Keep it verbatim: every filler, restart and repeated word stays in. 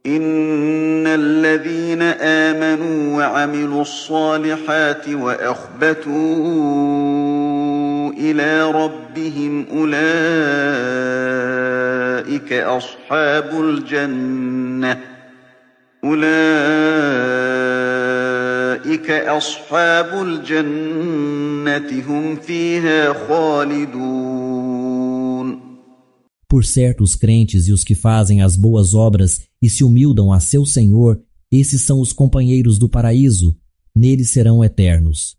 إن الذين آمنوا وعملوا الصالحات وأخبتوا إلى ربهم أولئك أصحاب الجنة أولئك أصحاب الجنة هم فيها خالدون. Por certo, os crentes e os que fazem as boas obras e se humildam a seu Senhor, esses são os companheiros do paraíso, neles serão eternos.